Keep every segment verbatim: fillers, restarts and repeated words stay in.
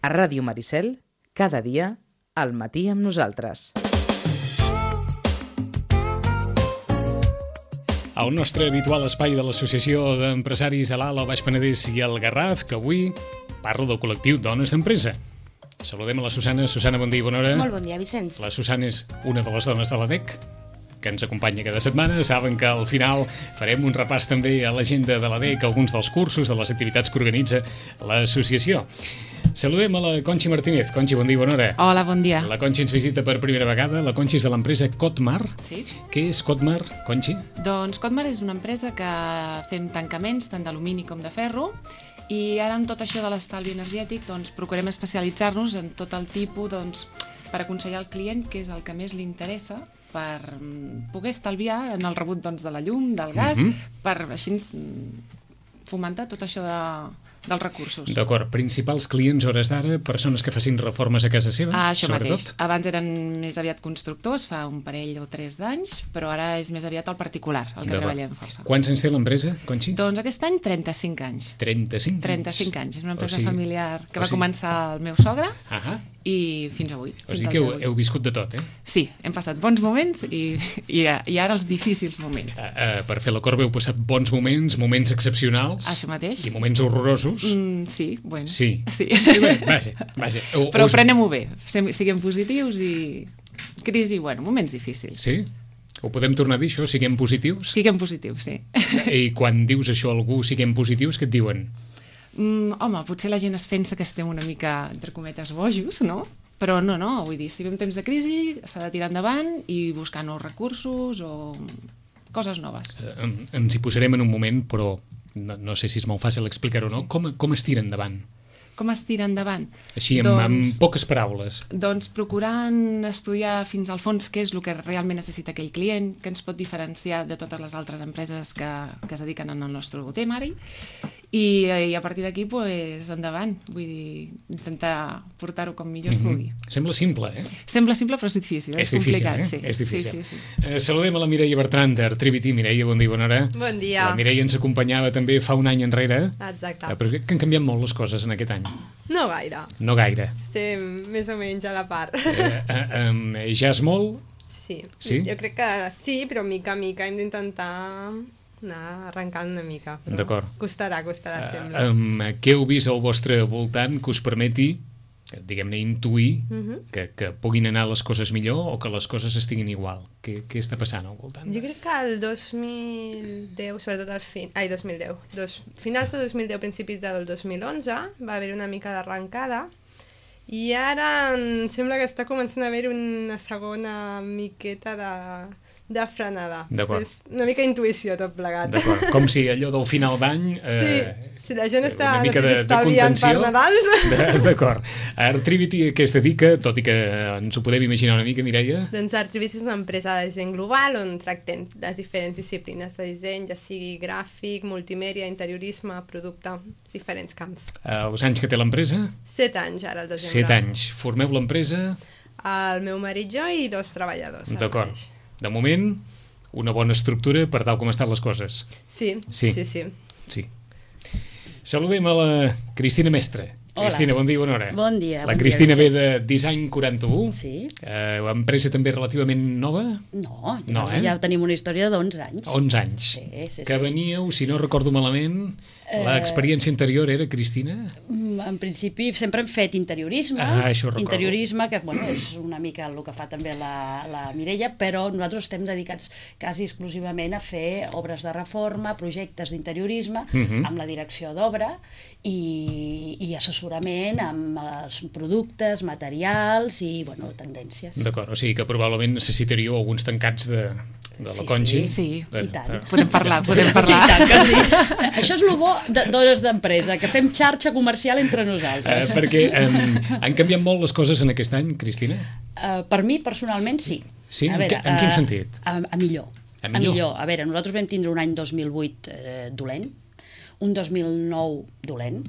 A Ràdio Maricel, cada dia, al matí amb nosaltres. El nostre habitual espai de l'Associació d'Empresaris de l'Alt, el Baix Penedès i el Garraf, que avui parla del col·lectiu Dones d'Empresa. Saludem a la Susana. Susana, bon dia i bona hora. Molt bon dia, Vicenç. La Susana és una de les dones de l'A D E C, que ens acompanya cada setmana. Saben que al final farem un repàs també a l'agenda de l'A D E C, alguns dels cursos, de les activitats que organitza l'associació. Saludem a la Conxi Martínez. Conxi, bon dia i bona hora. Hola, bon dia. La Conxi ens visita per primera vegada. La Conxi és de l'empresa Cotmar. Sí. Què és Cotmar, Conxi? Doncs Cotmar és una empresa que fem tancaments tant d'alumini com de ferro, i ara amb tot això de l'estalvi energètic doncs, procurem especialitzar-nos en tot el tipus doncs, per aconsellar al client què és el que més li interessa per poder estalviar en el rebut doncs, de la llum, del gas, mm-hmm. per així fomentar tot això de... dels recursos. D'acord. Principals clients hores d'ara, persones que facin reformes a casa seva? Ah, això sobretot? mateix. Abans eren més aviat constructors, fa un parell o tres d'anys, però ara és més aviat el particular, el que treballem força. Quants anys té l'empresa, Conxi? Doncs aquest any trenta-cinc anys. trenta-cinc anys? trenta-cinc anys. És una empresa o sigui, familiar que va sigui... començar el meu sogre uh-huh. i fins avui. O sigui que heu, heu viscut de tot, eh? Sí, hem passat bons moments i, i, i ara els difícils moments. Uh, uh, per fer la corba heu passat bons moments, moments excepcionals. Això mateix. I moments horrorosos. Mm, sí, bueno. Sí. sí. sí bé, vaja, vaja. O, Però us... prenem-ho bé, siguem positius i crisi, bueno, moments difícils. Sí? Ho podem tornar a dir, això? Siguem positius? Siguem positius, sí. I quan dius això a algú, siguem positius, què et diuen? Mm, home, potser la gent es pensa que estem una mica, entre cometes, bojos, no? Però no, no, vull dir, si ve un temps de crisi s'ha de tirar endavant i buscar nous recursos o coses noves. Eh, ens hi posarem en un moment, però no, no sé si és molt fàcil explicar-ho o no. Com, com es tira endavant? Com es tira endavant? Així, amb, doncs, amb poques paraules. Doncs procurant estudiar fins al fons què és el que realment necessita aquell client, què ens pot diferenciar de totes les altres empreses que, que es dediquen al nostre tema ara, i, i a partir d'aquí, pues, endavant. Vull dir, intentar portar-ho com millor es pugui. Mm-hmm. Sembla simple, eh? Sembla simple, però és difícil. És, és difícil, complicat, eh? sí. És difícil. Sí, sí, sí. Eh, saludem a la Mireia Bertran d'Artrivity. Mireia, bon dia i bona hora. Bon dia. La Mireia ens acompanyava també fa un any enrere. Exacte. Eh, però crec que han canviat molt les coses en aquest any. No gaire. No gaire. Estem més o menys a la part. Eh, eh, eh, ja és molt? Sí. Sí? Jo crec que sí, però mica a mica hem d'intentar anar arrencant una mica. D'acord. Costarà, costarà, Uh, sembla. um, què heu vist al vostre voltant que us permeti, diguem-ne, intuir Uh-huh. que, que puguin anar les coses millor o que les coses estiguin igual? Què, què està passant al voltant? Jo crec que el dos mil deu, sobretot al fin... Ai, dos mil deu. Dos... Finals de dos mil deu, principis del dos mil onze, va haver una mica d'arrencada, i ara em sembla que està començant a haver una segona miqueta de... de frenada. D'acord. És una mica intuïció tot plegat. D'acord, com si allò del final d'any... Eh, sí, si la gent està una mica no sé de, si de estalviant per Nadals. D'acord. Artrivity a què es dedica, tot i que ens ho podem imaginar una mica, Mireia? Doncs Artrivity és una empresa de disseny global on tractem les diferents disciplines de disseny, ja sigui gràfic, multimèdia, interiorisme, producte, diferents camps. Eh, els anys que té l'empresa? Set anys ara, el desembre. Set anys. Formeu l'empresa? El meu marit, jo i dos treballadors. D'acord. De moment, una bona estructura per tal com estan les coses. Sí, sí, sí, sí. sí. Saludem a la Cristina Mestre. Hola. Cristina, bon dia i bona hora. Bon dia. La bon Cristina dia, ve de Design quaranta-u. Sí. Eh, empresa també relativament nova? No, ja, no eh? ja tenim una història d'onze anys. onze anys. Sí, sí, que sí. veníeu, si no recordo malament, eh... l'experiència anterior era, Cristina? En principi sempre hem fet interiorisme. Ah, això ho recordo. Interiorisme, que bueno, és una mica el que fa també la, la Mireia, però nosaltres estem dedicats quasi exclusivament a fer obres de reforma, projectes d'interiorisme, uh-huh. amb la direcció d'obra i, i assessorament amb els productes, materials i bueno, tendències. D'acord, o sigui que probablement necessitaríeu alguns tancats de, de la Sí, Conxi. sí, sí, i tant. Podem parlar, podem parlar. I tant que sí. Això és el bo de d'hores d'empresa, que fem xarxa comercial entre nosaltres. Eh, perquè um, han canviat molt les coses en aquest any, Cristina? Uh, per mi, personalment, sí. Sí? A veure, en, en quin uh, sentit? A, a millor. A millor? A millor. A veure, nosaltres vam tindre un any dos mil vuit eh, dolent, un dos mil nou dolent.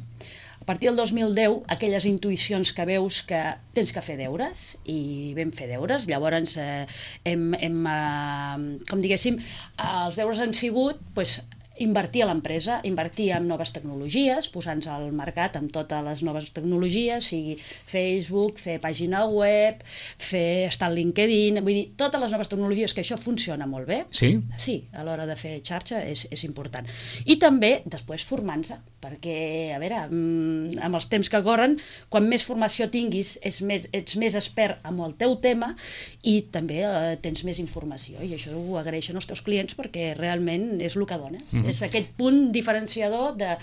A partir del dos mil deu, aquelles intuïcions que veus que tens que fer deures, i vam fer deures, llavors eh, hem, hem eh, com diguéssim, els deures han sigut pues, invertir a l'empresa, invertir en noves tecnologies, posar-nos al mercat amb totes les noves tecnologies, sigui Facebook, fer pàgina web, fer estar al LinkedIn, vull dir, totes les noves tecnologies, que això funciona molt bé. Sí? Sí, a l'hora de fer xarxa és, és important. I també, després, formant-se, perquè, a veure, amb els temps que corren, quan més formació tinguis, és més, ets més expert amb el teu tema i també eh, tens més informació, i això ho agraeixen els teus clients perquè realment és el que dones. Mm-hmm. És aquest punt diferenciador de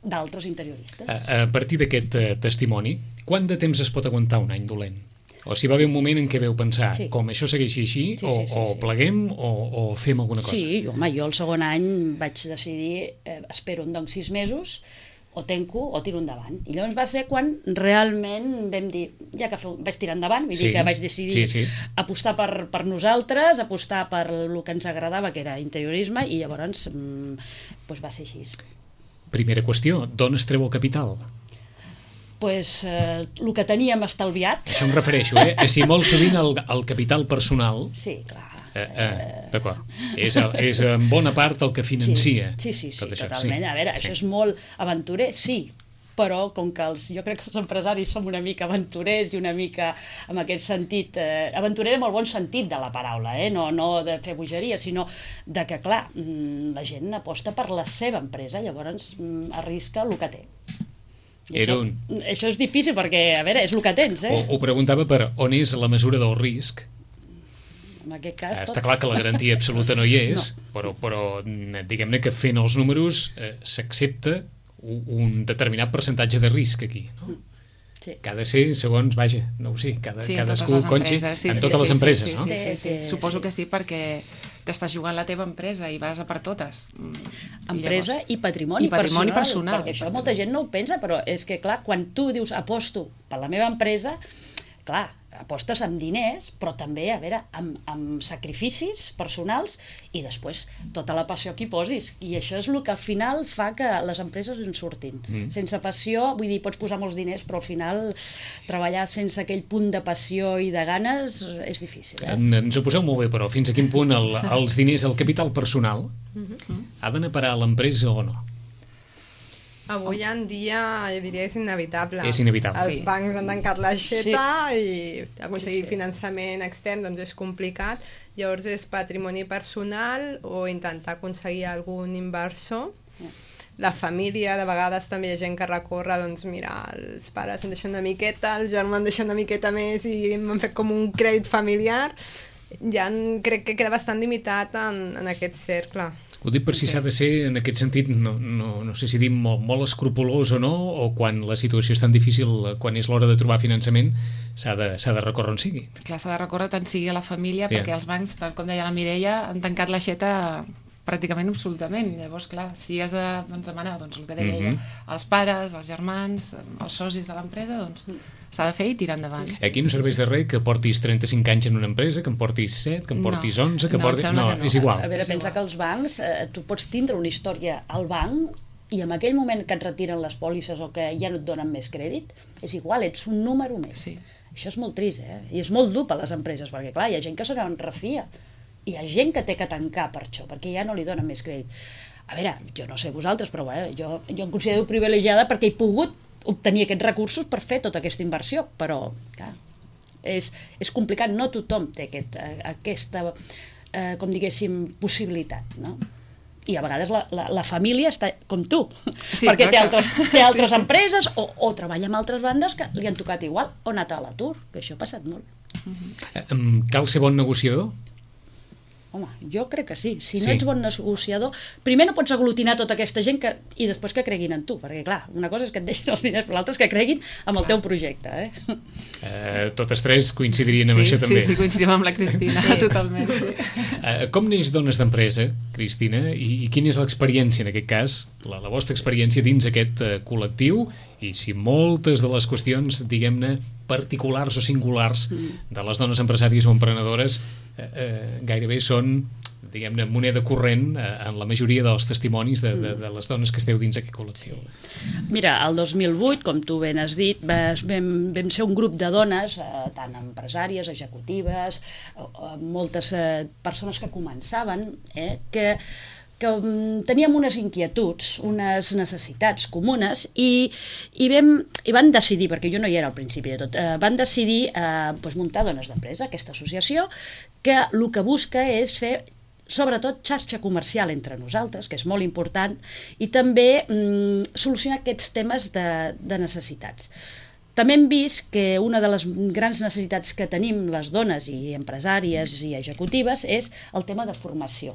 d'altres interioristes. A, a partir d'aquest uh, testimoni, quant de temps es pot aguantar un any dolent? O si va haver un moment en què veu pensar, sí. com això segueixi així, sí, sí, o, sí, o sí. pleguem o, o fem alguna cosa? Sí, home, jo el segon any vaig decidir, eh, espero doncs sis mesos, o tenco o tiro endavant. I llavors va ser quan realment vam dir, ja que feu, vaig tirar endavant, vull sí, dir que vaig decidir sí, sí. apostar per, per nosaltres, apostar per el que ens agradava, que era interiorisme, i llavors mm, doncs va ser així. Primera qüestió, d'on es treu el capital? Pues, eh, el que teníem estalviat. Això em refereixo, eh? Si molt sovint el, el capital personal... Sí, clar. Eh, eh, d'acord. És, és en bona part el que financia. Sí, sí, sí, tot sí això. totalment. Sí. A veure, sí. això és molt aventurer, sí, però com que els, jo crec que els empresaris som una mica aventurers i una mica en aquest sentit, eh, aventurer en el bon sentit de la paraula, eh? no, no de fer bogeria, sinó de que, clar, la gent aposta per la seva empresa, llavors arrisca el que té. I Era això, un... això és difícil perquè, a veure, és el que tens, eh? Ho, ho preguntava per on és la mesura del risc. En aquest cas... Està tot... clar que la garantia absoluta no hi és, no. però, però diguem-ne que fent els números eh, s'accepta un, un determinat percentatge de risc aquí, no? Sí. Que ha de ser segons, vaja, no ho sé, cada, sí, cadascú conxi sí, en sí, totes sí, les sí, empreses, sí, no? Sí, sí, sí, sí. Suposo sí. que sí, perquè t'estàs jugant la teva empresa i vas a per totes. Empresa i, llavors, i patrimoni, i patrimoni personal, personal. Perquè això molta gent no ho pensa, però és que, clar, quan tu dius aposto per la meva empresa, clar, apostes amb diners, però també, a veure, amb, amb sacrificis personals i després tota la passió que hi posis. I això és el que al final fa que les empreses en surtin. Mm. Sense passió, vull dir, pots posar molts diners, però al final treballar sense aquell punt de passió i de ganes és difícil. Eh? En, ens ho poseu molt bé, però fins a quin punt el, els diners, el capital personal, mm-hmm. ha d'anar a parar a l'empresa o no? Avui en dia, jo diria que és inevitable. És inevitable. Els sí. bancs han tancat l'aixeta sí. i aconseguir sí, sí. finançament extern doncs és complicat. Llavors és patrimoni personal o intentar aconseguir algun inversor. La família, de vegades també hi ha gent que recorre, doncs mira, els pares em deixen una miqueta, el germà em deixa una miqueta més i m'han fet com un crèdit familiar. Ja crec que queda bastant limitat en, en aquest cercle. Ho dic per si s'ha de ser, en aquest sentit, no, no, no sé si dir molt, molt escrupolós o no, o quan la situació és tan difícil, quan és l'hora de trobar finançament, s'ha de, s'ha de recórrer on sigui. Clar, s'ha de recórrer tant sigui a la família, yeah. perquè els bancs, tal com deia la Mireia, han tancat l'aixeta pràcticament absolutament. Llavors, clar, si has de doncs, demanar doncs, el que deia mm-hmm. ella, als pares, als germans, als socis de l'empresa, doncs s'ha de fer i tirar endavant. Sí. Aquí no serveix de res que portis trenta-cinc anys en una empresa, que en portis set, que en portis no. onze, que no, portis... No, no, és igual. A veure, pensa que els bancs, eh, tu pots tindre una història al banc i en aquell moment que et retiren les pòlisses o que ja no et donen més crèdit, és igual, ets un número més. Sí. Això és molt trist, eh? I és molt dur per les empreses, perquè clar, hi ha gent que se n'en refia. Hi ha gent que té que tancar per això, perquè ja no li donen més crèdit. A veure, jo no sé vosaltres, però bueno, jo, jo em considero privilegiada perquè he pogut obtenir aquests recursos per fer tota aquesta inversió, però clar, és, és complicat, no tothom té aquest, aquesta, eh, com diguéssim, possibilitat, no? I a vegades la, la, la família està com tu, sí, perquè té altres, té altres sí, sí. empreses o, o treballa amb altres bandes que li han tocat igual o ha anat a l'atur, que això ha passat molt. Uh-huh. Cal ser bon negociador? Home, jo crec que sí. Si no sí. ets bon negociador, primer no pots aglutinar tota aquesta gent que, i després que creguin en tu, perquè clar, una cosa és que et deixin els diners, però l'altra és que creguin en el teu projecte. Eh? Uh, totes tres coincidirien amb sí, això també. Sí, sí, coincidim amb la Cristina, sí. totalment. Sí. Uh, com neix Dones d'Empresa, Cristina, i, i quina és l'experiència en aquest cas, la, la vostra experiència dins aquest uh, col·lectiu, i si moltes de les qüestions, diguem-ne, particulars o singulars de les dones empresàries o emprenedores eh, eh, gairebé són, diguem-ne, moneda corrent eh, en la majoria dels testimonis de, de, de les dones que esteu dins aquest col·lectiu. Mira, el dos mil vuit, com tu ben has dit, vam, vam ser un grup de dones, eh, tant empresàries, executives, eh, moltes eh, persones que començaven, eh, que que um, teníem unes inquietuds, unes necessitats comunes i, i, vam, i van decidir, perquè jo no hi era al principi de tot, eh, van decidir eh, doncs muntar Dones d'Empresa, aquesta associació, que el que busca és fer sobretot xarxa comercial entre nosaltres, que és molt important, i també mm, solucionar aquests temes de, de necessitats. També hem vist que una de les grans necessitats que tenim les dones i empresàries i executives és el tema de formació.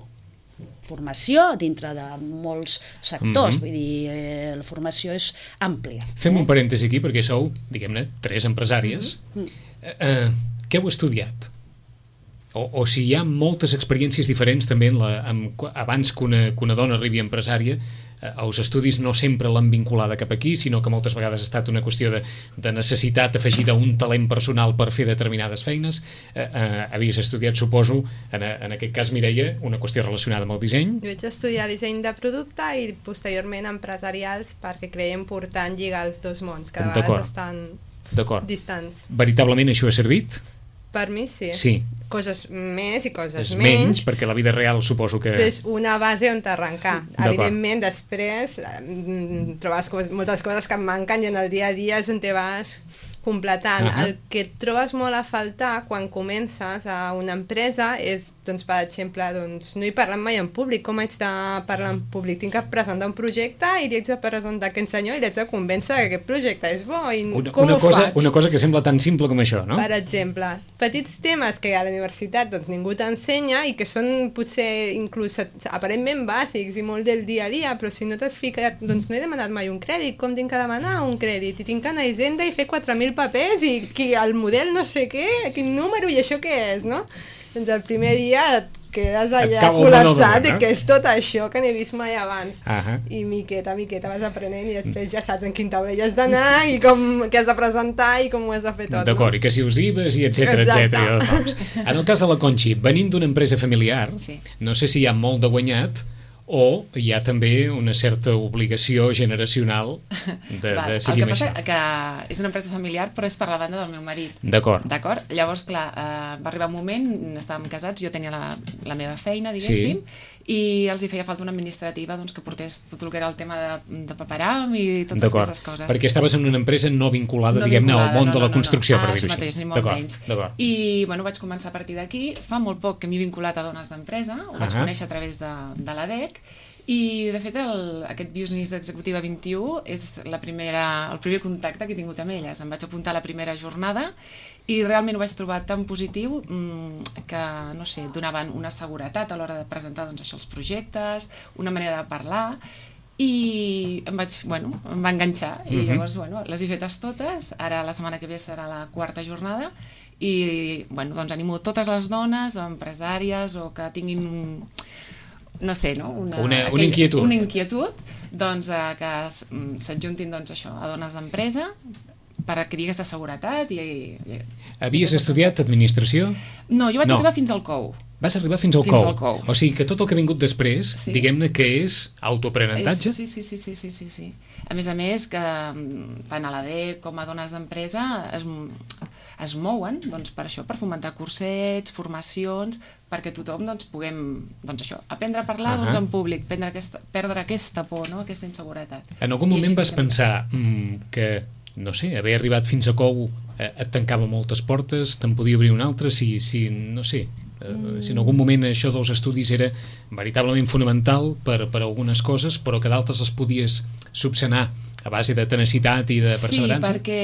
Formació dintre de molts sectors, mm-hmm. vull dir, eh, la formació és àmplia. Fem eh? un parèntesi aquí, perquè sou, diguem-ne, tres empresàries. Mm-hmm. eh, eh, què heu estudiat? O, o si hi ha moltes experiències diferents també en la, en, abans que una, que una dona arribi empresària, eh, els estudis no sempre l'han vinculada cap aquí, sinó que moltes vegades ha estat una qüestió de, de necessitat afegida a un talent personal per fer determinades feines. Eh, eh, havies estudiat, suposo, en, en aquest cas, Mireia, una qüestió relacionada amb el disseny. Jo vaig estudiar disseny de producte i posteriorment empresarials perquè creia important lligar els dos mons, que a vegades estan distants. Veritablement això ha servit? Per mi sí. Sí. Coses més i coses és menys. menys, perquè la vida real suposo que... Però és una base on t'arrencar. Evidentment, després trobes coses, moltes coses que et manquen i en el dia a dia és on te vas completant. Uh-huh. El que et trobes molt a faltar quan comences a una empresa és, doncs, per exemple, doncs, no he parlat mai en públic. Com haig de parlar en públic? Tinc que presentar un projecte i li haig de presentar a aquest senyor i li haig de convèncer que aquest projecte és bo. I una, com una ho cosa, faig? Una cosa que sembla tan simple com això, no? Per exemple, petits temes que a la universitat doncs, ningú t'ensenya i que són potser inclús aparentment bàsics i molt del dia a dia, però si no t'has ficat, doncs no he demanat mai un crèdit. Com tinc que demanar un crèdit? I tinc que anar a Hisenda i fer quatre mil papers i qui, el model no sé què, quin número i això què és, no? Doncs el primer dia et quedes allà col·lapsat i no? Que és tot això que n'he vist mai abans. Uh-huh. I miqueta, miqueta vas aprenent i després ja saps en quin taulell has d'anar i com què has de presentar i com ho has de fer tot. D'acord, no? I que si us I V As i etcètera, etcètera. Doncs. En el cas de la Conxi, venint d'una empresa familiar, sí. No sé si hi ha molt de guanyat o hi ha també una certa obligació generacional de, de seguir amb això. El que passa que és una empresa familiar, però és per la banda del meu marit. D'acord. D'acord? Llavors, clar, eh, va arribar un moment, estàvem casats, jo tenia la, la meva feina, diguéssim, sí. I els hi feia falta una administrativa doncs, que portés tot el que era el tema de, de paperam i totes aquestes coses. Perquè estaves en una empresa no vinculada, no diguem-ne, al món no, de la construcció, no, no. per dir-ho així. Mateix, ni molt menys. I bueno, vaig començar a partir d'aquí. Fa molt poc que m'he vinculat a Dones d'Empresa, ho vaig uh-huh. conèixer a través de, de l'A D E C, i de fet el, aquest Business Executiva vint i u és la primera, el primer contacte que he tingut amb elles. Em vaig apuntar a la primera jornada i realment ho vaig trobar tan positiu mmm, que, no sé, donaven una seguretat a l'hora de presentar doncs, això, els projectes, una manera de parlar, i em vaig, bueno, em va enganxar. I uh-huh. llavors, bueno, les he fetes totes. Ara la setmana que ve serà la quarta jornada i, bueno, doncs animo totes les dones o empresàries o que tinguin un, no sé, no? Una, una, aquell, una inquietud. Una inquietud, doncs, eh, que s'adjuntin doncs, això, a Dones d'Empresa per adquirir aquesta seguretat. I, i, Havies estudiat administració? No, jo vaig no. arribar fins al C O U. Vas arribar fins al, fins C O U. al C O U. O sigui que tot el que ha vingut després, sí. diguem-ne que és autoaprenentatge? Sí, sí, sí, sí, sí, sí, sí. A més a més, que tant a l'A D E C com a Dones d'Empresa es, es mouen doncs, per això, per fomentar cursets, formacions, perquè tothom doncs, puguem doncs, això, aprendre a parlar uh-huh. doncs, en públic, prendre aquesta, perdre aquesta por, no? Aquesta inseguretat. En algun moment vas pensar mm, que no sé, haver arribat fins a C O U eh, et tancava moltes portes, te'n podia obrir una altra, si, si no sé, eh, mm. si en algun moment això dels estudis era veritablement fonamental per, per algunes coses, però que d'altres les podies subsanar a base de tenacitat i de perseverança? Sí, perquè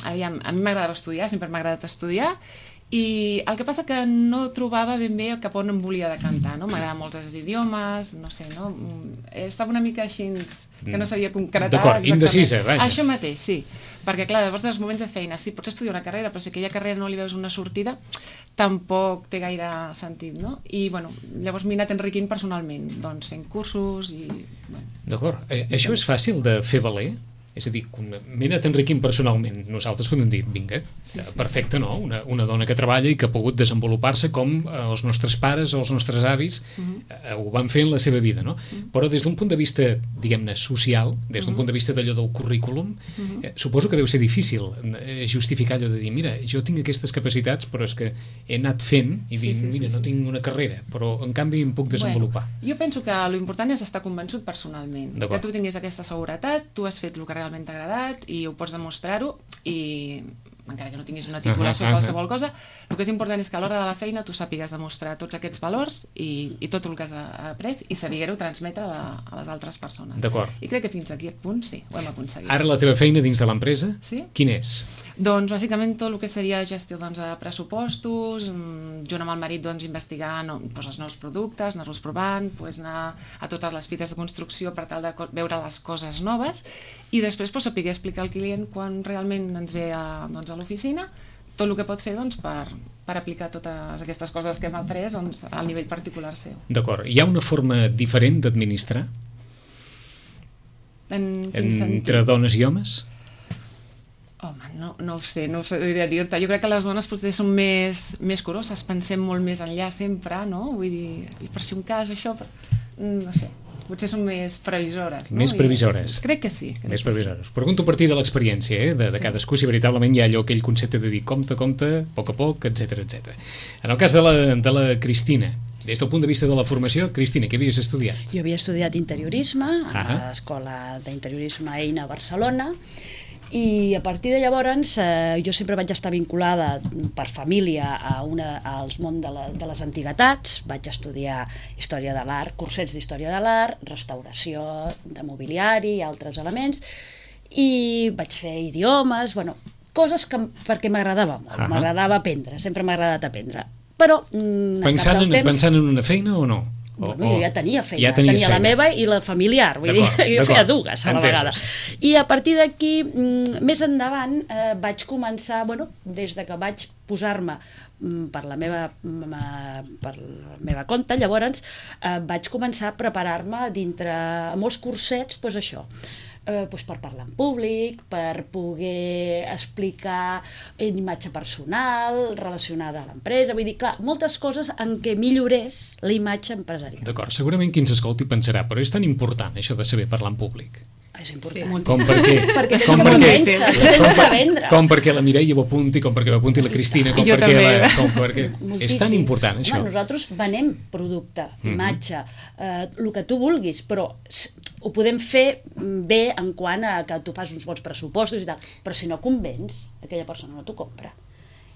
aviam, a mi m'agradava estudiar, sempre m'ha agradat estudiar, i el que passa que no trobava ben bé cap on em volia decantar, no? M'agradaven molts els idiomes, no sé, no? Estava una mica així, que no sabia concretar. D'acord, indecisa, vaja. Això mateix, sí. Perquè, clar, llavors dels moments de feina, sí, pots estudiar una carrera, però si aquella carrera no li veus una sortida, tampoc té gaire sentit, no? I, bueno, llavors m'he anat enriquint personalment, doncs fent cursos i... Bueno. D'acord. Eh, això és fàcil de fer valer? És a dir, m'he anat enriquint personalment. Nosaltres podem dir, vinga, sí, sí, perfecte, no? Una, una dona que treballa i que ha pogut desenvolupar-se com els nostres pares o els nostres avis uh-huh. ho van fer en la seva vida, no? Uh-huh. Però des d'un punt de vista, diguem-ne, social, des d'un uh-huh. punt de vista d'allò del currículum, uh-huh. eh, suposo que deu ser difícil eh, justificar allò de dir, mira, jo tinc aquestes capacitats, però és que he anat fent i dir, sí, sí, mira, sí, sí. no tinc una carrera, però en canvi em puc desenvolupar. Bueno, jo penso que l'important és estar convençut personalment, que tu tinguis aquesta seguretat, tu has fet el que realment t'ha agradat i ho pots demostrar-ho i encara que no tinguis una titulació uh -huh, o qualsevol uh -huh. cosa, el que és important és que a l'hora de la feina tu sàpigues demostrar tots aquests valors i, i tot el que has après i saber-ho transmetre a, la, a les altres persones. D'acord. I crec que fins aquí, a punt, sí, ho hem aconseguit. Ara la teva feina dins de l'empresa, sí? Quin és? Doncs bàsicament tot el que seria gestió doncs, de pressupostos, junt amb el marit doncs, investigar no, doncs, els nous productes, anar-los provant, doncs, anar a totes les fites de construcció per tal de veure les coses noves i després doncs, saber explicar al client quan realment ens ve a, doncs, a l'oficina tot el que pot fer doncs, per, per aplicar totes aquestes coses que hem après doncs, al nivell particular seu. D'acord. Hi ha una forma diferent d'administrar? En quin Entre sentit? dones i homes? Home, no, no ho sé, no ho sé dir-te. Jo crec que les dones potser són més, més curoses, pensem molt més enllà sempre, no? Vull dir, per si un cas, això... No sé, potser són més previsores. No? Més previsores. I, crec que sí. Crec més que previsores. Sí. Pregunto a partir de l'experiència eh, de, de sí. cadascú, si veritablement hi ha allò, aquell concepte de dir compte, compte, a poc a poc, etcètera, etcètera. En el cas de la, de la Cristina, des del punt de vista de la formació, Cristina, què havies estudiat? Jo havia estudiat interiorisme a ah. l'Escola d'Interiorisme Eina a Barcelona i a partir de llavors eh, jo sempre vaig estar vinculada per família a una, als món de, la, de les antiguitats. Vaig estudiar història de l'art, cursets d'història de l'art, restauració de mobiliari i altres elements i vaig fer idiomes, bueno, coses que, perquè m'agradava molt, ah. m'agradava aprendre, sempre m'ha agradat aprendre. Però mm, pensant, en, temps, pensant en una feina o no? O, bueno, jo ja tenia feina, ja tenia feina. la meva i la familiar, vull dir, jo feia dues a la vegada. I a partir d'aquí, més endavant, eh, vaig començar, bueno, des de que vaig posar-me per la meva, per la meva compte, llavors eh, vaig començar a preparar-me dintre molts cursets, doncs això, Eh, doncs per parlar en públic, per poder explicar en imatge personal relacionada a l'empresa, vull dir, clar, moltes coses en què millorés la imatge empresarial. D'acord, segurament qui ens escolti pensarà, però és tan important això de saber parlar en públic. És important. Sí, com perquè, perquè tens com que perquè, convèncer, tens com, que vendre. Com perquè la Mireia ho apunti, com perquè ho apunti la Cristina, com perquè, la, com perquè... És tan important, això. Home, nosaltres venem producte, imatge, eh, el que tu vulguis, però ho podem fer bé en quant a que tu fas uns bons pressupostos i tal, però si no convenç, aquella persona no t'ho compra.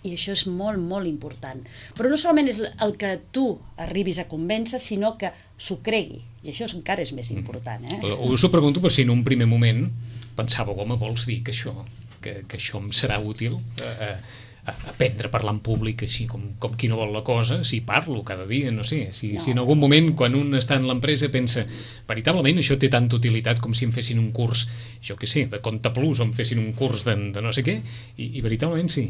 I això és molt, molt important. Però no solament és el que tu arribis a convèncer, sinó que s'ho cregui. I això encara és més important. Eh? Us ho pregunto per si en un primer moment pensàveu, home, vols dir que això, que, que això em serà útil? Eh, aprendre a parlar en públic així com, com qui no vol la cosa, si parlo cada dia, no sé, si, no. si en algun moment quan un està en l'empresa pensa veritablement això té tanta utilitat com si em fessin un curs, jo què sé, de Compte Plus o em fessin un curs de, de no sé què, i, i veritablement sí.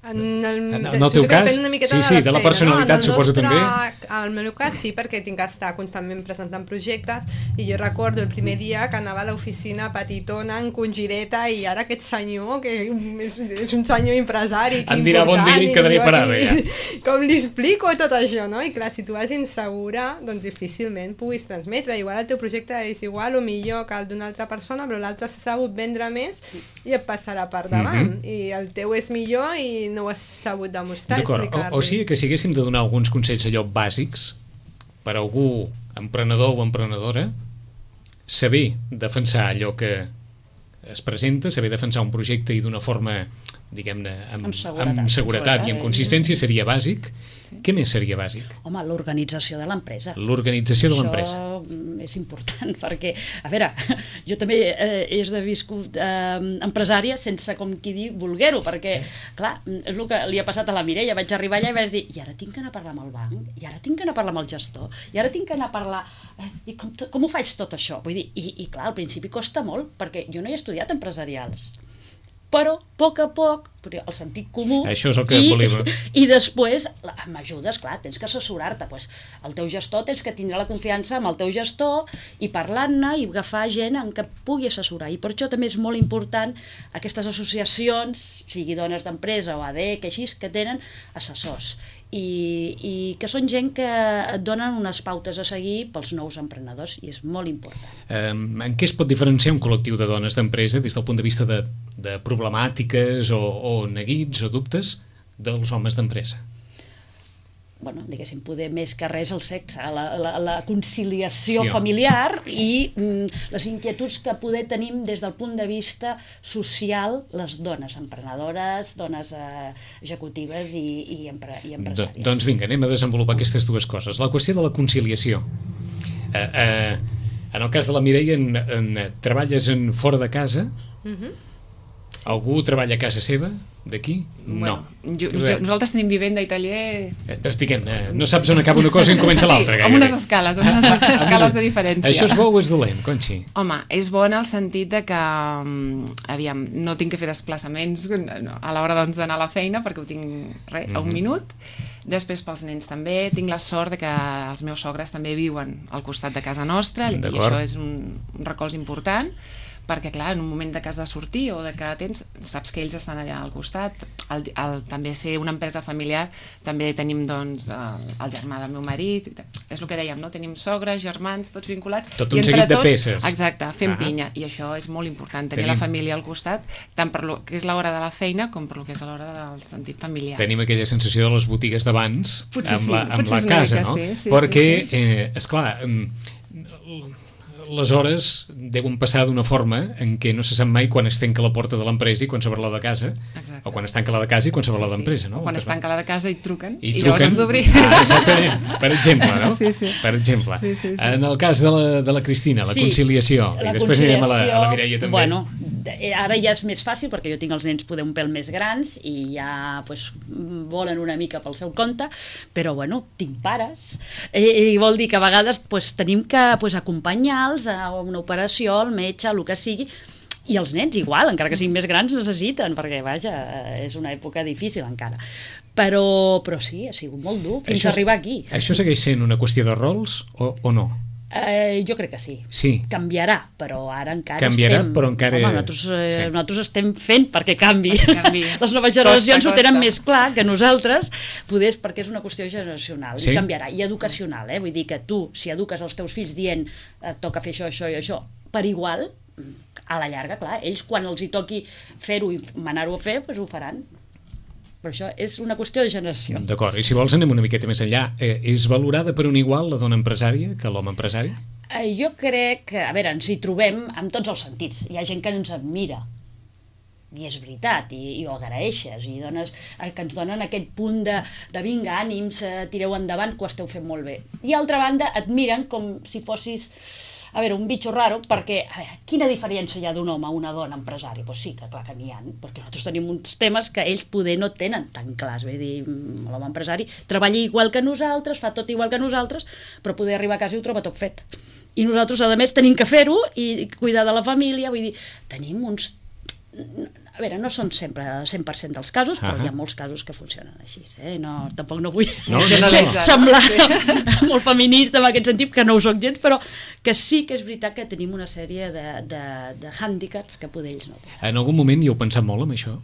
En el, en el teu cas, sí, sí, de la personalitat no? suposo nostre, també. En el meu cas sí, perquè tinc que estar constantment presentant projectes i jo recordo el primer dia que anava a l'oficina petitona, en congireta, i ara aquest senyor, que és, és un senyor empresari, em dirà bon dia i quedaré parada ja. Com li explico tot això, no? I clar, si tu vas insegura, doncs difícilment puguis transmetre. Igual el teu projecte és igual o millor que el d'una altra persona, però l'altre s'ha sabut vendre més i et passarà per davant. Mm-hmm. I el teu és millor i no ho has sabut demostrar. D'acord, o, o sigui que si haguéssim de donar alguns consells allò bàsics per a algú emprenedor o emprenedora, saber defensar allò que es presenta, saber defensar un projecte i d'una forma, diguem-ne, amb, amb seguretat, amb seguretat i amb consistència seria bàsic. Sí. Què més seria bàsic? Home, l'organització de l'empresa. L'organització de l'empresa. Això és important perquè, a veure, jo també eh, he esdeviscut eh, empresària sense, com qui dir, voler-ho, perquè, clar, és el que li ha passat a la Mireia. Vaig arribar allà i vaig dir, i ara tinc que anar a parlar amb el banc, i ara tinc que anar a parlar amb el gestor, i ara tinc que anar a parlar... Eh, i com, com ho faig tot això? Vull dir, i, i clar, al principi costa molt, perquè jo no he estudiat empresarials. però a poc a poc, el sentit comú, això és el que i, volia... i després, amb ajudes, clar, tens que assessorar-te, pues, el teu gestor tens que tindre la confiança amb el teu gestor i parlar-ne i agafar gent en què pugui assessorar, i per això també és molt important aquestes associacions, sigui dones d'empresa o A D E C, així, que tenen assessors, i, i que són gent que et donen unes pautes a seguir pels nous emprenedors, i és molt important. Um, en què es pot diferenciar un col·lectiu de dones d'empresa des del punt de vista de, de problemàtiques o, o neguits o dubtes dels homes d'empresa? Bueno, diguéssim, poder més que res el sexe, la, la, la conciliació Sí, familiar i mm, les inquietuds que poder tenim des del punt de vista social les dones emprenedores, dones eh, executives i, i, empre, i empresàries. Do, doncs vinga, anem a desenvolupar aquestes dues coses. La qüestió de la conciliació. Eh, eh, en el cas de la Mireia, en, en, treballes en fora de casa? Mhm. Sí. Algú treballa a casa seva? D'aquí? Bueno, no. jo, jo, nosaltres tenim vivenda i taller... Diguem, eh, no saps on acaba una cosa i en comença l'altra. Sí, amb unes escales, amb unes escales de diferència. Això és bo o és dolent, Conxi? Home, és bo en el sentit de que, aviam, no tinc que fer desplaçaments a l'hora doncs, d'anar a la feina, perquè ho tinc re, a un minut. Després pels nens també, tinc la sort de que els meus sogres també viuen al costat de casa nostra, i això és un, un recolz important, perquè clar, en un moment de que has de sortir o de que tens, saps que ells estan allà al costat. El, el, també ser una empresa familiar, també tenim doncs el, el germà del meu marit, és el que dèiem, no? Tenim sogres, germans, tots vinculats. Tot un seguit de peces. Exacte, fem ah. pinya, i això és molt important, tenir tenim... la família al costat, tant per lo que és l'hora de la feina com per lo que és l'hora del sentit familiar. Tenim aquella sensació de les botigues d'abans amb, sí, la, amb la mica, casa, no? Sí, sí, perquè, sí, sí. Eh, esclar, les hores deuen passar d'una forma en què no se sap mai quan es tanca la porta de l'empresa i quan s'obre la de casa. Exacte. O quan es tanca la de casa i quan s'obre sí, la d'empresa, no? O quan es tanca la de casa i truquen i, i truquen, llavors has d'obrir. Ah, exactament, per exemple, no? Sí, sí. Per exemple. Sí, sí, sí. En el cas de la, de la Cristina, la sí, conciliació, la i després anirem a la, a la Mireia també. Bueno, ara ja és més fàcil perquè jo tinc els nens poder un pèl més grans i ja pues, volen una mica pel seu compte, però bueno, tinc pares i, i vol dir que a vegades pues, tenim que pues, acompanyar-los a una operació, al metge, el que sigui, i els nens igual, encara que siguin més grans necessiten, perquè vaja, és una època difícil encara, però, però sí, ha sigut molt dur fins això, a arribar aquí. Això segueix sent una qüestió de rols o, o no? Eh, jo crec que sí. sí. Canviarà, però ara encara Canviarà, estem... però encara... Home, nosaltres, eh, sí. nosaltres estem fent perquè canvi. canvi. Les noves generacions costa, ho tenen costa. més clar que nosaltres, poder, perquè és una qüestió generacional, sí? i canviarà. I educacional, eh? Vull dir que tu, si eduques els teus fills dient et toca fer això, això i això, per igual, a la llarga, clar, ells quan els hi toqui fer-ho i manar-ho a fer, doncs ho faran. Però això és una qüestió de generació. D'acord, i si vols anem una miqueta més enllà. Eh, és valorada per un igual la dona empresària que l'home empresari? Eh, jo crec que, a veure, ens hi trobem en tots els sentits. Hi ha gent que ens admira, i és veritat, i, i ho agraeixes, i dones, eh, que ens donen aquest punt de, de vinga, ànims, eh, tireu endavant, que ho esteu fent molt bé. I altra banda, et miren com si fossis... a veure, un bitxo raro, perquè a veure, quina diferència hi ha d'un home a una dona empresària? Pues sí, que clar que n'hi ha, perquè nosaltres tenim uns temes que ells poder no tenen tan clars, vull dir, l'home empresari treballa igual que nosaltres, fa tot igual que nosaltres, però poder arribar a casa i ho troba tot fet. I nosaltres, a més, tenim que fer-ho i cuidar de la família, vull dir, tenim uns... A veure, no són sempre cent per cent dels casos, però uh -huh. hi ha molts casos que funcionen així, eh? No, tampoc no vull no, generalitzar, semblar sí. molt feminista en aquest sentit, que no ho soc gens, però que sí que és veritat que tenim una sèrie de, de, de hàndicaps que poder ells no tenen. En algun moment hi heu pensat molt en això?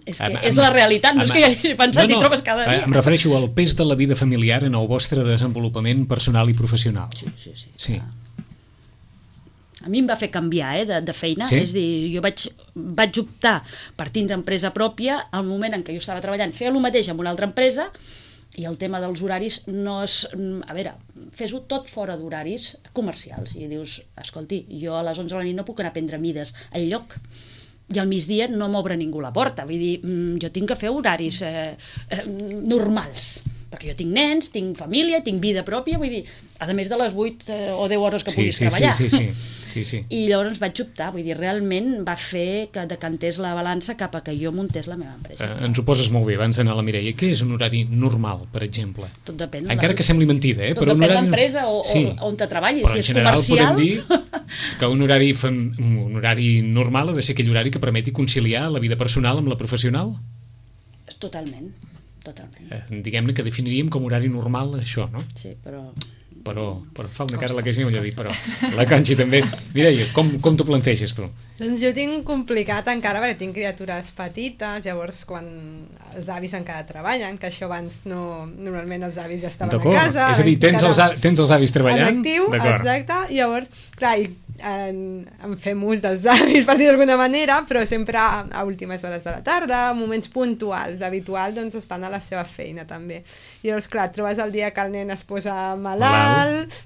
És que amb, és la realitat, no és que hi hagi pensat no, no, i trobes cada dia. Em refereixo al pes de la vida familiar en el vostre desenvolupament personal i professional. Sí, sí, sí. sí. A mi em va fer canviar eh, de, de feina, sí? És a dir, jo vaig, vaig optar per tindre empresa pròpia al moment en què jo estava treballant, feia el mateix amb una altra empresa i el tema dels horaris no és... A veure, fes-ho tot fora d'horaris comercials i dius, escolti, jo a les onze de la nit no puc anar a prendre mides al lloc i al migdia no m'obre ningú la porta, vull dir, jo tinc que fer horaris eh, eh, normals. perquè jo tinc nens, tinc família, tinc vida pròpia, vull dir, a més de les vuit eh, o deu hores que sí, puguis sí, treballar. Sí, sí, sí, sí, sí. I llavors vaig optar, vull dir, realment va fer que decantés la balança cap a que jo muntés la meva empresa. Eh, ens ho poses molt bé, abans d'anar a la Mireia. Què és un horari normal, per exemple? Tot depèn. Encara que sembli mentida, eh? Tot però un depèn horari... l'empresa o, sí. o on te treballis, però si en és general comercial... podem dir que un horari, fem... un horari normal ha de ser aquell horari que permeti conciliar la vida personal amb la professional? Totalment, totalment. Eh, diguem-ne que definiríem com horari normal això, no? Sí, però... Però, però fa una cara la que sí, millor dit, però la Conxi també. Mireia, com, com t'ho planteges tu? Doncs jo tinc complicat encara perquè tinc criatures petites, llavors quan els avis encara treballen, que això abans no... Normalment els avis ja estaven a casa. És a dir, tens els, tens els avis treballant? En actiu, exacte. Llavors, clar, i en, en fem ús dels avis, per dir d'alguna manera, però sempre a, a últimes hores de la tarda, moments puntuals. L'habitual, doncs, estan a la seva feina, també. Llavors, clar, trobes el dia que el nen es posa malalt,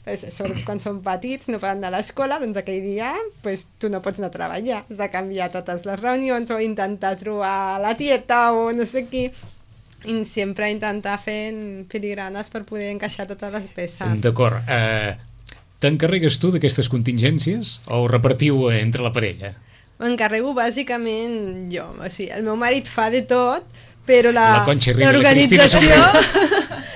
pues, sobretot quan són petits, no poden anar a l'escola, doncs aquell dia pues, tu no pots anar a treballar. Has de canviar totes les reunions o intentar trobar la tieta o no sé qui. I sempre intentar fer filigranes per poder encaixar totes les peces. D'acord. Eh, T'encarregues tu d'aquestes contingències o ho repartiu entre la parella? M'encarrego bàsicament jo. O sigui, el meu marit fa de tot, però la, la Conxi Riba i la Cristina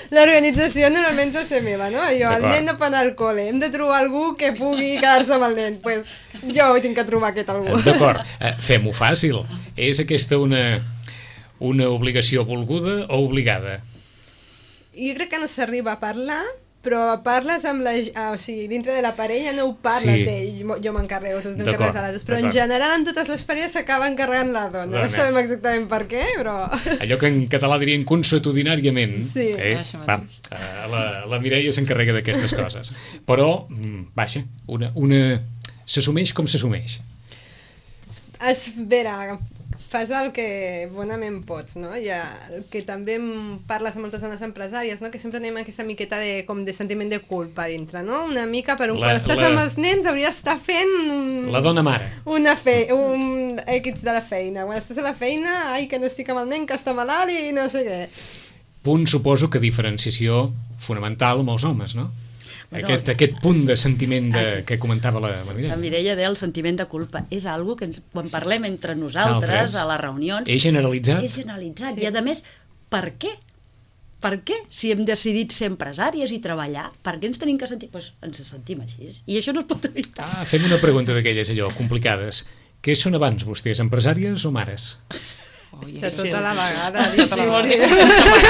l'organització normalment és la meva, no? Jo, el nen no pot anar al col·le, hem de trobar algú que pugui quedar-se amb el nen, pues jo tinc que trobar aquest algú. D'acord, eh, fem-ho fàcil. És aquesta una, una obligació volguda o obligada? Jo crec que no s'arriba a parlar, però parles amb la... Ah, o sigui, dintre de la parella no ho parles sí. d'ell, jo m'encarrego, tu t'encarregues de l'altre, però en general en totes les parelles s'acaba encarregant la dona, dona. No sabem exactament per què, però... Allò que en català dirien consuetudinàriament, sí. eh? Va, la, la Mireia s'encarrega d'aquestes coses, però, vaja, una, una... s'assumeix com s'assumeix. Es vera, fas el que bonament pots, no? Ja, que també parles amb moltes dones empresàries, no? Que sempre tenim aquesta miqueta de, com de sentiment de culpa dintre, no? Una mica per un... La, quan estàs la... amb els nens hauries d'estar fent... Un, la dona mare. Una fe, un equits de la feina. Quan estàs a la feina, ai, que no estic amb el nen, que està malalt i no sé què. Punt, suposo, que diferenciació fonamental amb els homes, no? Bueno, aquest, aquest punt de sentiment de, aquest, que comentava la, la Mireia. La Mireia deia el sentiment de culpa. És algo que ens, quan parlem entre nosaltres, Altres, a les reunions... És generalitzat. És generalitzat. Sí. I a més, per què? Per què? Si hem decidit ser empresàries i treballar, per què ens tenim que sentir? Doncs pues ens sentim així. I això no es pot evitar. Ah, fem una pregunta d'aquelles allò, complicades. Què són abans vostès, empresàries o mares? Oh, de tota la vegada,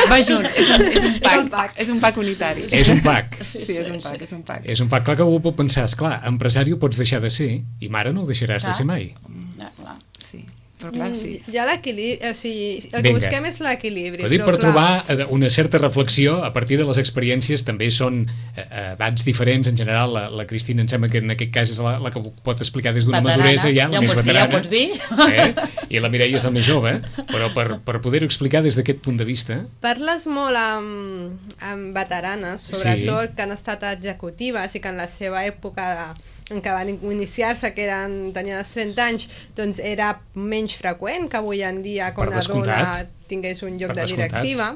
va junt, és un, és un pack, és un pack unitari. És un pack. Sí, sí, és un pack, és un pack. És un pack, clar que ho pot pensar, esclar, empresari ho pots deixar de ser i mare no ho deixaràs clar. de ser mai. Ja, clar, sí. Però clar, sí. Hi ha l'equilibri, o sigui, el que busquem és l'equilibri. Ho dic per clar. trobar una certa reflexió a partir de les experiències, també són edats diferents, en general, la, la Cristina em sembla que en aquest cas és la, la que pot explicar des d'una maduresa ja, la ja més veterana. Ja ho pots dir. Eh? I la Mireia és la més jove, però per, per poder-ho explicar des d'aquest punt de vista... Parles molt amb, amb veteranes, sobretot, sí. que han estat executives i que en la seva època de... en què van iniciar-se, que eren, tenien els trenta anys, doncs era menys freqüent que avui en dia que una dona tingués un lloc de directiva,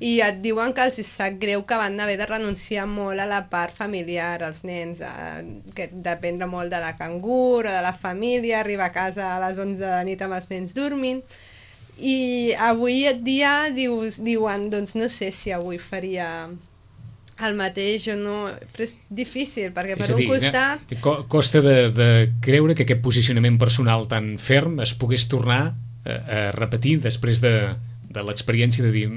i et diuen que els sap greu que van haver de renunciar molt a la part familiar, els nens, eh, que dependre molt de la cangur o de la família, arribar a casa a les onze de la nit amb els nens dormint, i avui en dia dius, diuen, doncs no sé si avui faria... el mateix o no, però és difícil perquè per dir, un costat eh, costa de, de creure que aquest posicionament personal tan ferm es pogués tornar a, a repetir després de, de l'experiència de dir...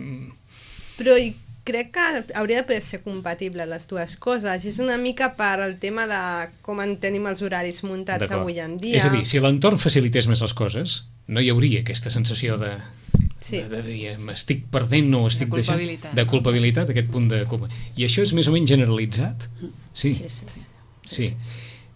Però crec que hauria de poder ser compatible les dues coses, és una mica per el tema de com en tenim els horaris muntats avui en dia. És a dir, si l'entorn facilités més les coses no hi hauria aquesta sensació de... Sí. de, de dir, estic perdent o estic de deixant de culpabilitat, aquest punt de culpa. I això és més o menys generalitzat? Sí. Sí, sí, sí. sí.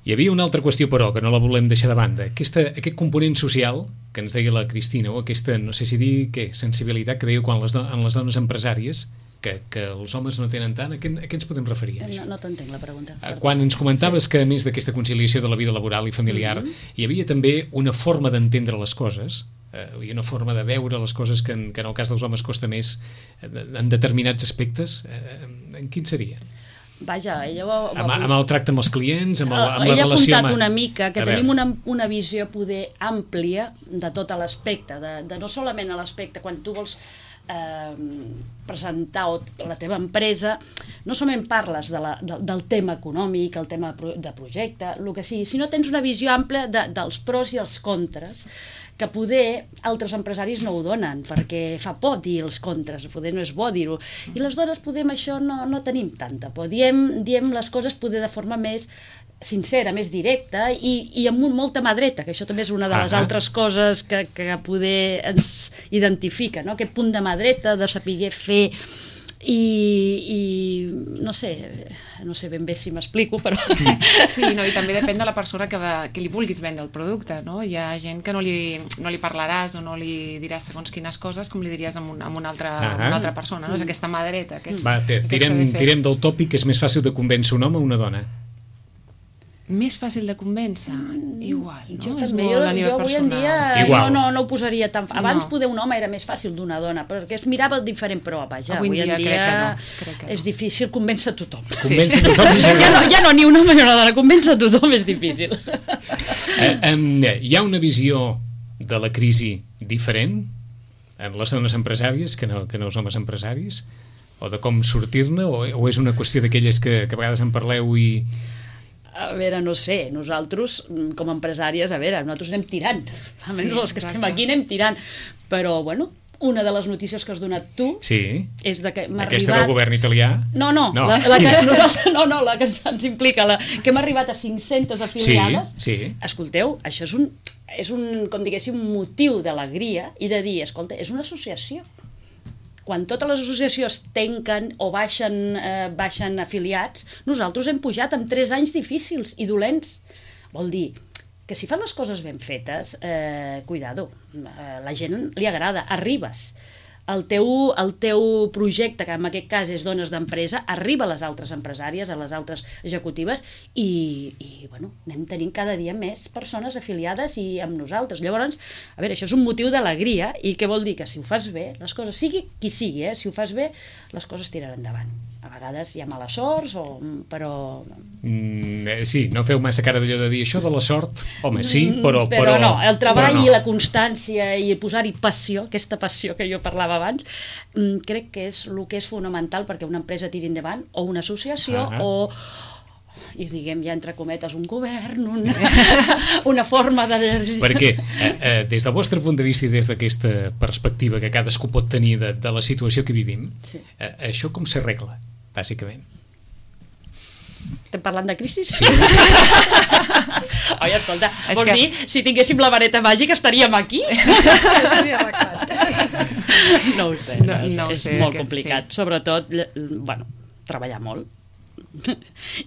Hi havia una altra qüestió, però, que no la volem deixar de banda. Aquesta, aquest component social que ens deia la Cristina, o aquesta, no sé si dir què, sensibilitat que deia quan les, do en les dones empresàries, que, que els homes no tenen tant, a què, a què ens podem referir? No, no t'entenc la pregunta. Quan ens comentaves sí. que a més d'aquesta conciliació de la vida laboral i familiar, mm-hmm. hi havia també una forma d'entendre les coses eh, hi ha una forma de veure les coses que en, que en el cas dels homes costa més en determinats aspectes. Eh, en quin seria? Vaja, ella va, va... Amb, amb el tracte amb els clients, amb, el, amb la ella relació... ha apuntat amb... una mica que A tenim veure. una, una visió poder àmplia de tot l'aspecte, de, de no solament a l'aspecte quan tu vols eh, presentar o la teva empresa, no solament parles de la, de, del tema econòmic, el tema de projecte, el que sigui, sinó tens una visió àmplia de, dels pros i els contres, que poder altres empresaris no ho donen, perquè fa por dir els contres, poder no és bo dir-ho. I les dones poder amb això no, no tenim tanta por. Diem, diem les coses poder de forma més sincera, més directa i, i amb molta mà dreta, que això també és una de les ah, altres coses que, que poder ens identifica, no? Aquest punt de mà dreta, de saber fer i, i no sé, no sé ben bé si m'explico, però... Sí, no, i també depèn de la persona que, va, que li vulguis vendre el producte, no? Hi ha gent que no li, no li parlaràs o no li diràs segons quines coses com li diries amb, un, amb una, altra, Ah. una altra persona, no? És aquesta mà dreta. Aquest, Va, te, tirem, tirem del tòpic que és més fàcil de convèncer un home o una dona. Més fàcil de convèncer? Igual, no? Jo És també, molt jo, a nivell jo avui en personal. dia Sí, no, igual. no, no ho posaria tan... Abans No. poder un home era més fàcil d'una dona, perquè es mirava diferent, però vaja, Avui avui, en dia en dia crec que no, crec que no. és difícil convèncer tothom. Convèncer tothom en Ja no, general. ja no ni un home ni una dona, convèncer tothom és difícil. Eh, em, hi ha una visió de la crisi diferent en les dones empresàries que no, que no els homes empresaris? O de com sortir-ne? O, o és una qüestió d'aquelles que, que a vegades en parleu i... A veure, no sé, nosaltres, com a empresàries, a veure, nosaltres anem tirant. Almenys Sí, els que estem exacte. aquí anem tirant. Però, bueno, una de les notícies que has donat tu Sí, és de que m'ha aquesta arribat... del govern italià. No, no, No. La, la que, no, no, no, la que ens, ens implica, la, que hem arribat a cinc-centes afiliades. Sí, sí. Escolteu, això és un, és un, com diguéssim, motiu d'alegria i de dir, escolta, és una associació. Quan totes les associacions tanquen o baixen, eh, baixen afiliats, nosaltres hem pujat amb tres anys difícils i dolents. Vol dir que si fan les coses ben fetes, eh, cuidado, eh, la gent li agrada, arribes. El teu, el teu projecte, que en aquest cas és dones d'empresa, arriba a les altres empresàries, a les altres executives i, i bueno, anem tenint cada dia més persones afiliades i amb nosaltres. Llavors, a veure, això és un motiu d'alegria i què vol dir? Que si ho fas bé, les coses, sigui qui sigui, eh, si ho fas bé, les coses tiraran endavant. A vegades hi ha mala sorts, o, però... Mm, eh, sí, no feu massa cara d'allò de dir això de la sort. Home, sí, però... Mm, però, no, el treball però no. i la constància i posar-hi passió, aquesta passió que jo parlava abans, mm, crec que és el que és fonamental perquè una empresa tiri endavant, o una associació, Ah. o i diguem ja entre cometes un govern, una, una forma de... Perquè, eh, eh, des del vostre punt de vista i des d'aquesta perspectiva que cadascú pot tenir de, de la situació que vivim, Sí. eh, això com s'arregla, bàsicament? Estem parlant de crisi? Sí. Oi, escolta, És vols que- dir, si tinguéssim la vareta màgica estaríem aquí? No ho sé, no, No- ho sé. no ho és sé, molt aquest complicat. sí. Sobretot, ll- bueno, treballar molt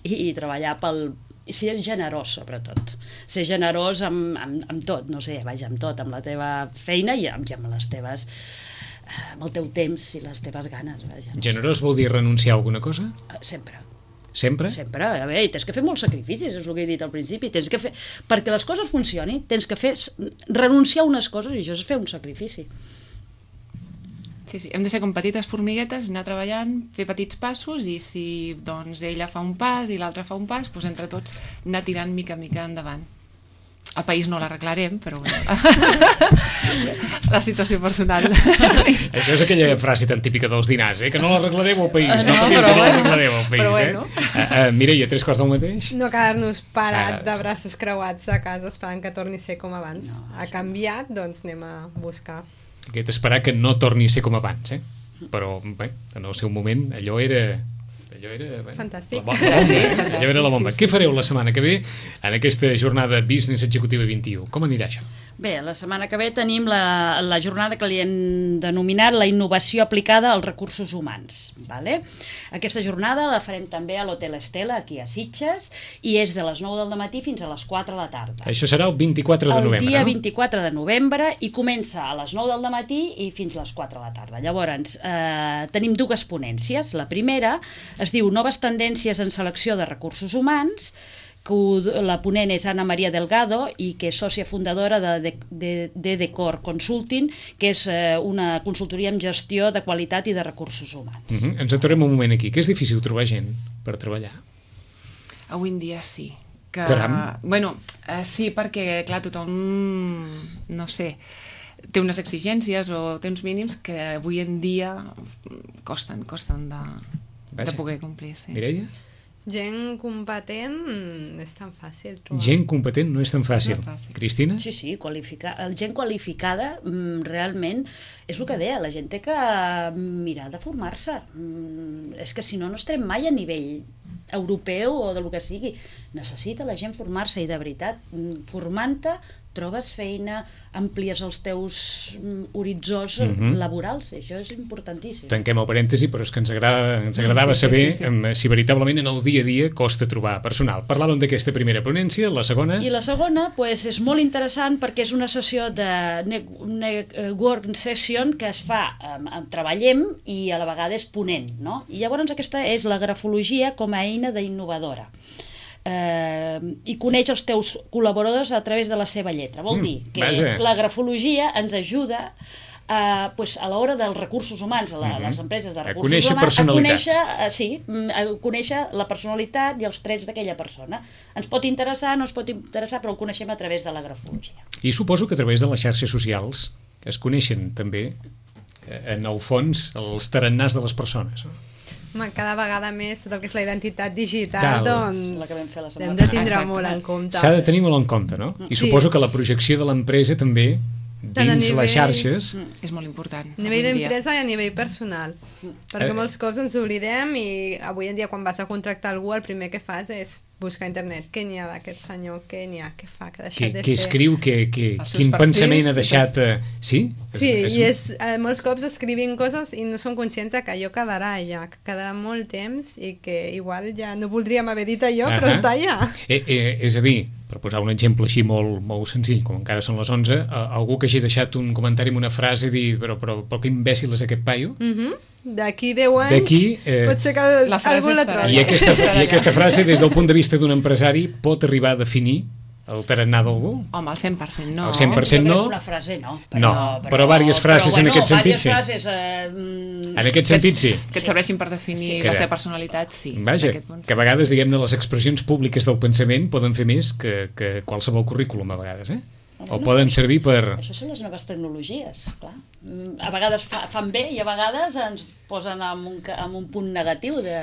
i, i treballar pel... i ser generós, sobretot. Ser generós amb, amb, amb tot, no sé, vaja, amb tot, amb la teva feina i amb, i amb les teves eh, amb el teu temps i les teves ganes, vaja. No Generós vol dir renunciar a alguna cosa? sé. Sempre. Sempre? Sempre, a veure, i tens que fer molts sacrificis, és el que he dit al principi, tens que fer, perquè les coses funcionin, tens que fer, renunciar a unes coses, i això és fer un sacrifici. Sí, sí, hem de ser com petites formiguetes, anar treballant, fer petits passos i si doncs ella fa un pas i l'altre fa un pas, doncs entre tots anar tirant mica en mica endavant. El país no l'arreglarem, però bueno. La situació personal. Això és aquella frase tan típica dels dinars, eh? Que no l'arreglareu al país, no, No, patiu, però que no bueno. l'arreglareu al país, Però bueno. eh? Uh, uh, Mireia, tres quarts del mateix? No quedar-nos parats Ah, de sí. braços creuats a casa esperant que torni a ser com abans. No, ha canviat, doncs anem a buscar. Aquest esperar que no torni a ser com abans, eh? Però, bé, en el seu moment, allò era... Allò era... Bé, Fantàstic. La bomba, la bomba, eh? Fantàstic, Allò era la bomba. sí, sí, Què fareu sí, la sí. setmana que ve en aquesta jornada Business Executiva vint-i-u? Com anirà això? Bé, la setmana que ve tenim la, la jornada que li hem denominat la innovació aplicada als recursos humans. Vale? Aquesta jornada la farem també a l'Hotel Estela, aquí a Sitges, i és de les nou del matí fins a les quatre de la tarda. Això serà el vint-i-quatre de el novembre, dia no? vint-i-quatre de novembre i comença a les nou del matí i fins a les quatre de la tarda. Llavors, eh, tenim dues ponències. La primera es diu Noves tendències en selecció de recursos humans que la ponent és Ana Maria Delgado i que és sòcia fundadora de, de, de, de Decor Consulting, que és eh, una consultoria en gestió de qualitat i de recursos humans. Uh -huh. Ens aturem un moment aquí, que és difícil trobar gent per treballar. Avui en dia sí. Que, Caram. Bueno, eh, sí, perquè, clar, tothom, no sé, té unes exigències o té uns mínims que avui en dia costen, costen de, de poder complir. Sí. Mireia? Gent competent no és tan fàcil trobar. Gent competent no és tan fàcil. No és fàcil. Cristina? Sí, sí, qualificar. El gent qualificada mm, realment és el que deia, la gent té que mirar de formar-se. Mm, és que si no, no estarem mai a nivell europeu o del que sigui. Necessita la gent formar-se i de veritat, formant-te, trobes feina, amplies els teus horitzons Mhm. laborals, això és importantíssim. Tanquem el parèntesi, però és que ens, agrada, ens agradava Sí, sí, saber sí, sí. em, si veritablement en el dia a dia costa trobar personal. Parlàvem d'aquesta primera ponència, la segona... I la segona pues, és molt interessant perquè és una sessió de network session que es fa, eh, treballem i a la vegada és ponent, no? I llavors aquesta és la grafologia com a eina d'innovadora. Eh, i coneix els teus col·laboradors a través de la seva lletra. Vol Mm, dir que vaja. la grafologia ens ajuda a, pues, a l'hora dels recursos humans, a la, Mhm. les empreses de A recursos conèixer humans, a personalitats. conèixer, eh, sí, mm, a conèixer la personalitat i els trets d'aquella persona. Ens pot interessar, no ens pot interessar, però el coneixem a través de la grafologia. I suposo que a través de les xarxes socials es coneixen també, eh, en el fons, els tarannàs de les persones. No? Home, cada vegada més tot el que és la identitat digital, Tal. doncs La que vam fer la setmana hem de tindre passada. molt en compte. S'ha de tenir molt en compte, no? I Sí. suposo que la projecció de l'empresa també, Tant a dins nivell- les xarxes... És molt important. A nivell avui en dia. d'empresa i a nivell personal. Perquè Eh. molts cops ens oblidem i avui en dia quan vas a contractar algú el primer que fas és buscar a internet què n'hi ha d'aquest senyor, què n'hi ha, què fa, què ha deixat Que, de que fer. escriu, que, que, Els seus quin perfils pensament ha i deixat... Eh, sí? Sí, i és, eh, molts cops escrivint coses i no són conscients de que allò quedarà allà, que quedarà molt temps i que igual ja no voldríem haver dit allò, però Ahà. està allà. Eh, eh, és a dir, per posar un exemple així molt, molt senzill, com encara són les onze, eh, algú que hagi deixat un comentari amb una frase i dir, però, però, però que imbècil és aquest paio? Mhm. D'aquí deu anys D'aquí, eh, pot ser que la frase algú la estarà trobi. I aquesta, I aquesta frase, des del punt de vista d'un empresari, pot arribar a definir el tarannà d'algú? Home, el cent per cent no. El cent per cent Jo crec no. que una frase no. No, però vàries frases en aquest sentit, sí. Frases, eh, mm, En aquest sentit, sí. Que et serveixin per definir Sí. la Que- seva personalitat, sí. Vaja, d'aquest punt, sí. que a vegades, diguem-ne, les expressions públiques del pensament poden fer més que, que qualsevol currículum, a vegades, eh? O poden servir per... Això són les noves tecnologies, clar. Mm, A vegades fa, fan bé i a vegades ens posen en un, ca- en un punt negatiu, de...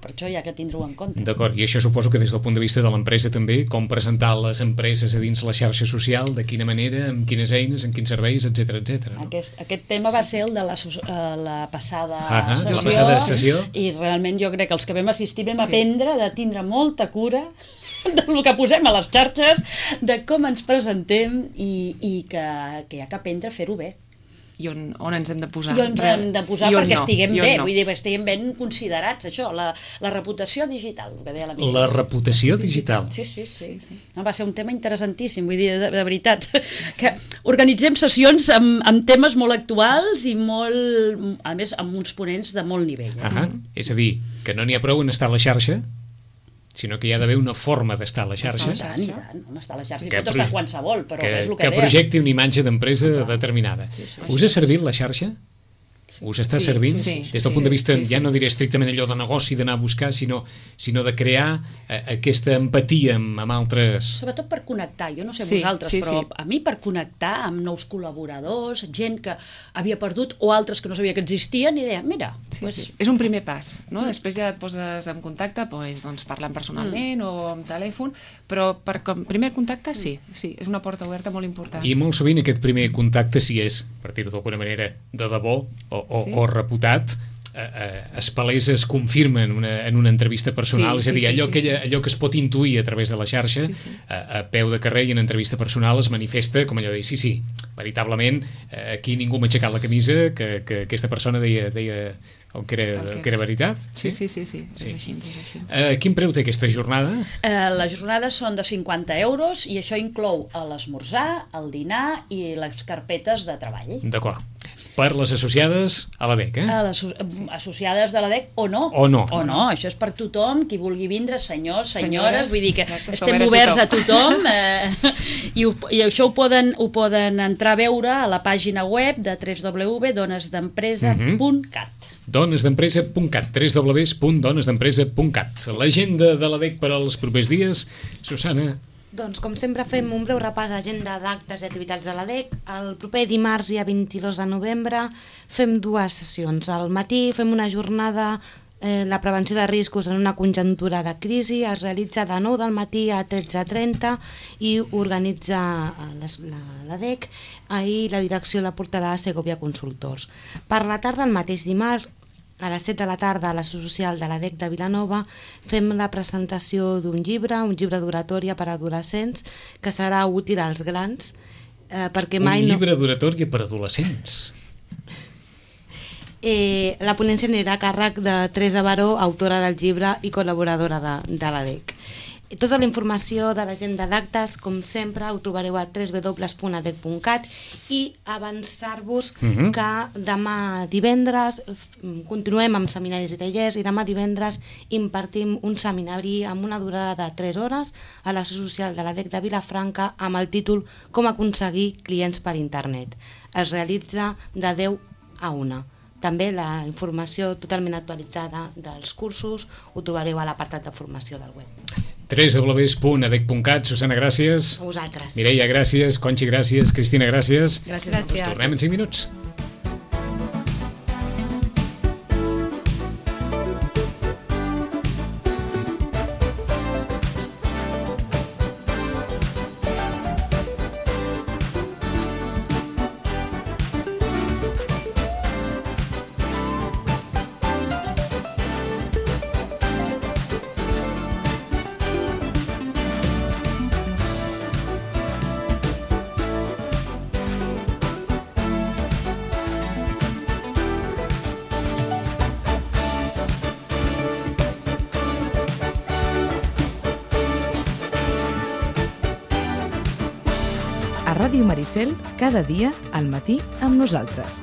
per això hi ha que tindre-ho en compte. D'acord, i això suposo que des del punt de vista de l'empresa també, com presentar les empreses a dins la xarxa social, de quina manera, amb quines eines, amb quins serveis, etcètera, etcètera. No? Aquest, aquest tema va ser el de la, sos- eh, la passada Ah, sessió, la passada sessió. i realment jo crec que els que vam assistir vam Sí. aprendre de tindre molta cura del que posem a les xarxes, de com ens presentem i, i que, que hi ha que aprendre a fer-ho bé. I on, on ens hem de posar. I on ens hem de posar I on perquè no, estiguem i on bé, no. vull dir, estiguem ben considerats, això, la, la reputació digital, el que deia la Mireia. La reputació digital. Sí, sí, sí. sí, sí. No, va ser un tema interessantíssim, vull dir, de, de veritat, que organitzem sessions amb, amb temes molt actuals i molt, a més, amb uns ponents de molt nivell. Eh? Ah, és a dir, que no n'hi ha prou en estar a la xarxa, sinó que hi ha d'haver una forma d'estar a la xarxa I tant, i tant, home, està a la xarxa, Que i pot estar proje- qualsevol, però que, és el que que, deia. projecti una imatge d'empresa determinada. Us ha servit la xarxa? Us està Sí, servint? sí, Des del sí, punt de vista, sí, sí. ja no diré estrictament allò de negoci, d'anar a buscar, sinó, sinó de crear eh, aquesta empatia amb, amb altres... Sobretot per connectar, jo no sé Sí, vosaltres, sí, però sí. a mi per connectar amb nous col·laboradors, gent que havia perdut o altres que no sabia que existien, i deia, mira, Sí, pues, sí. És un primer pas, no? Després ja et poses en contacte, doncs, doncs parlant personalment Mm. o amb telèfon, però per com primer contacte sí, sí, és una porta oberta molt important. I molt sovint aquest primer contacte, si és, per dir-ho d'alguna manera, de debò o, o, Sí. o reputat, eh, eh, es palesa, es confirma en una, en una entrevista personal, Sí, és a dir, sí, sí, allò, sí, que, sí. allò que es pot intuir a través de la xarxa, Sí, sí. A, a peu de carrer i en entrevista personal es manifesta com allò de dir, sí, sí, veritablement, eh, aquí ningú m'ha aixecat la camisa, que, que aquesta persona deia, deia el que era, el que era veritat. Sí, sí, sí, sí, Sí. és així, és així. Eh, quin preu té aquesta jornada? Eh, les jornades són de cinquanta euros i això inclou l'esmorzar, el dinar i les carpetes de treball. D'acord. per les associades a l'A D E C, eh? A les associades de l'A D E C o no. O no. O no, això és per tothom, qui vulgui vindre, senyors, senyores, Senyores, vull dir que exacte, estem som oberts a tothom. tothom, eh, i, ho, i això ho poden, ho poden entrar a veure a la pàgina web de w w w punt dones d'empresa punt cat. dones d'empresa punt cat, w w w punt dones d'empresa punt cat. L'agenda de l'A D E C per als propers dies, Susana. Doncs, com sempre, fem un breu repàs a l'agenda d'actes i activitats de l'A D E C. El proper dimarts, dia vint-i-dos de novembre, fem dues sessions. Al matí fem una jornada, eh, la prevenció de riscos en una conjuntura de crisi, es realitza de nou del matí a tretze trenta i organitza l'A D E C. Ahir la direcció la portarà a Segovia Consultors. Per la tarda, el mateix dimarts, a les set de la tarda, a la social de l'A D E C de Vilanova, fem la presentació d'un llibre, un llibre d'oratòria per a adolescents, que serà útil als grans, eh, perquè mai Un no... llibre d'oratòria per a adolescents. Eh, la ponència anirà a càrrec de Teresa Baró, autora del llibre i col·laboradora de, de l'A D E C. Tota la informació de l'agenda d'actes, com sempre, ho trobareu a w w w punt a d e c punt cat i avançar-vos uh -huh. que demà divendres continuem amb seminaris i tallers i demà divendres impartim un seminari amb una durada de tres hores a la social de l'A D E C de Vilafranca amb el títol Com aconseguir clients per internet. Es realitza de deu a una. També la informació totalment actualitzada dels cursos ho trobareu a l'apartat de formació del web. w w w punt a d e c punt cat. Susana, gràcies. A vosaltres. Mireia, gràcies. Conxi, gràcies. Cristina, gràcies. Gràcies. Gràcies. Tornem en cinc minuts. A Ràdio Maricel, cada dia al matí amb nosaltres.